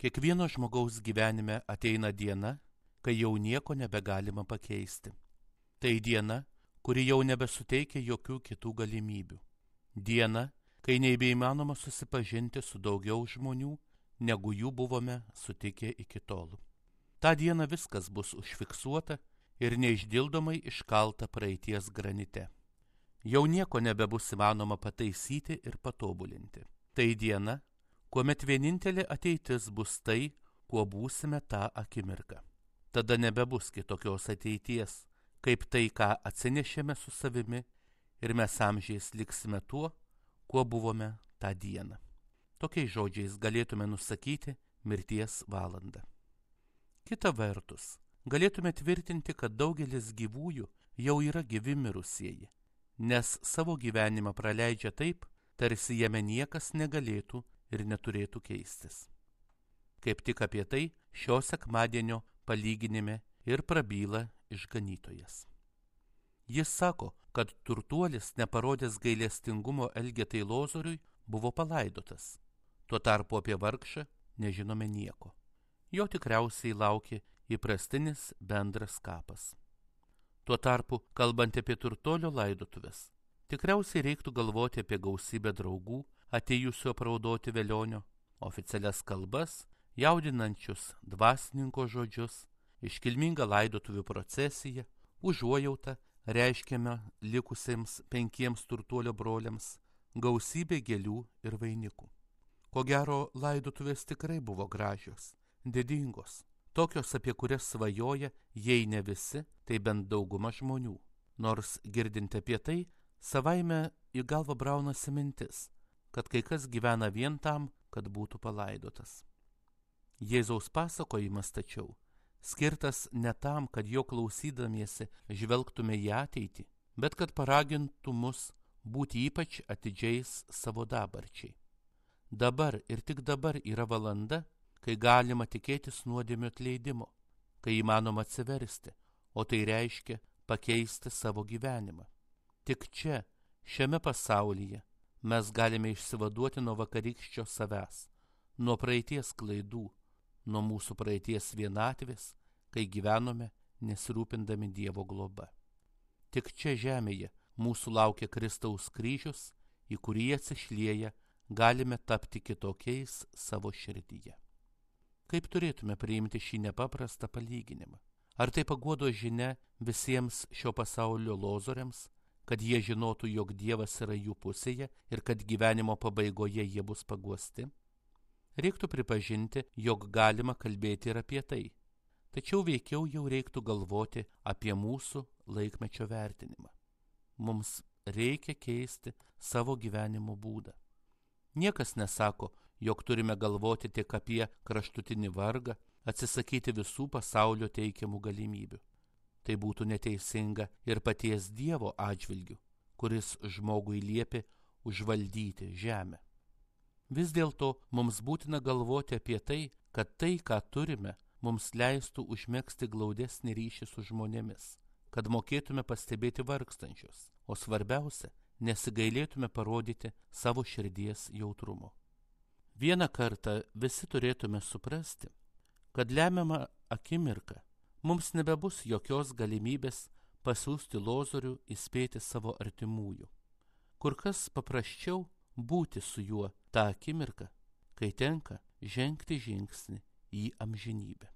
Kiekvieno žmogaus gyvenime ateina diena, kai jau nieko nebegalima pakeisti. Tai diena, kuri jau nebesuteikia jokių kitų galimybių. Diena, kai nebeįmanoma susipažinti su daugiau žmonių, negu jų buvome sutikę iki tol. Ta diena viskas bus užfiksuota ir neišdildomai iškalta praeities granite. Jau nieko nebebus įmanoma pataisyti ir patobulinti. Tai diena, kuomet vienintelė ateitis bus tai, kuo būsime tą akimirką. Tada nebebus kitokios ateities, kaip tai, ką atsinešėme su savimi, ir mes amžiais liksime tuo, kuo buvome tą dieną. Tokiais žodžiais galėtume nusakyti mirties valandą. Kita vertus, galėtume tvirtinti, kad daugelis gyvųjų jau yra gyvi mirusieji, nes savo gyvenimą praleidžia taip, tarsi jame niekas negalėtų ir neturėtų keistis. Kaip tik apie tai šio sekmadienio palyginime ir prabyla išganytojas. Jis sako, kad turtuolis, neparodęs gailestingumo Elgetai Lozoriui, buvo palaidotas. Tuo tarpu apie vargšą nežinome nieko. Jo tikriausiai laukė įprastinis bendras kapas. Tuo tarpu, kalbant apie turtuolio laidotuvės, tikriausiai reiktų galvoti apie gausybę draugų, atėjusių apraudoti velionio, oficialias kalbas, jaudinančius dvasininko žodžius, iškilmingą laidotuvių procesiją, užuojautą reiškiame likusiems 5 turtuolio broliams, gausybė gėlių ir vainikų. Ko gero, laidotuvės tikrai buvo gražios, didingos, tokios, apie kurias svajoja, jei ne visi, tai bent dauguma žmonių. Nors girdint apie tai, savaime į galvą braunasi mintis, kad kai kas gyvena vien tam, kad būtų palaidotas. Jėzaus pasakojimas tačiau skirtas ne tam, kad jo klausydamiesi žvelgtume į ateitį, bet kad paragintų mus būti ypač atidžiais savo dabarčiai. Dabar ir tik dabar yra valanda, kai galima tikėtis nuodėmių atleidimo, kai įmanoma atsiversti, o tai reiškia pakeisti savo gyvenimą. Tik čia, šiame pasaulyje, mes galime išsivaduoti nuo vakarykščio savęs, nuo praeities klaidų, nuo mūsų praeities vienatvės, kai gyvenome nesirūpindami Dievo globa. Tik čia žemėje mūsų laukia Kristaus kryžius, į kurį atsišlieja galime tapti kitokiais savo širdyje. Kaip turėtume priimti šį nepaprastą palyginimą? Ar tai paguodos žinia visiems šio pasaulio lozoriams, kad jie žinotų, jog Dievas yra jų pusėje ir kad gyvenimo pabaigoje jie bus paguosti? Reiktų pripažinti, jog galima kalbėti ir apie tai. Tačiau veikiau jau reiktų galvoti apie mūsų laikmečio vertinimą. Mums reikia keisti savo gyvenimo būdą. Niekas nesako, jog turime galvoti tik apie kraštutinį vargą, atsisakyti visų pasaulio teikiamų galimybių. Tai būtų neteisinga ir paties Dievo atžvilgiu, kuris žmogui liepė užvaldyti žemę. Vis dėlto mums būtina galvoti apie tai, kad tai, ką turime, mums leistų užmegzti glaudesnį ryšį su žmonėmis, kad mokėtume pastebėti vargstančius, o svarbiausia, nesigailėtume parodyti savo širdies jautrumo. Vieną kartą visi turėtume suprasti, kad lemiamą akimirką mums nebebus jokios galimybės pasiųsti Lozorių įspėti savo artimųjų. Kur kas paprasčiau būti su juo tą akimirką, kai tenka žengti žingsnį į amžinybę.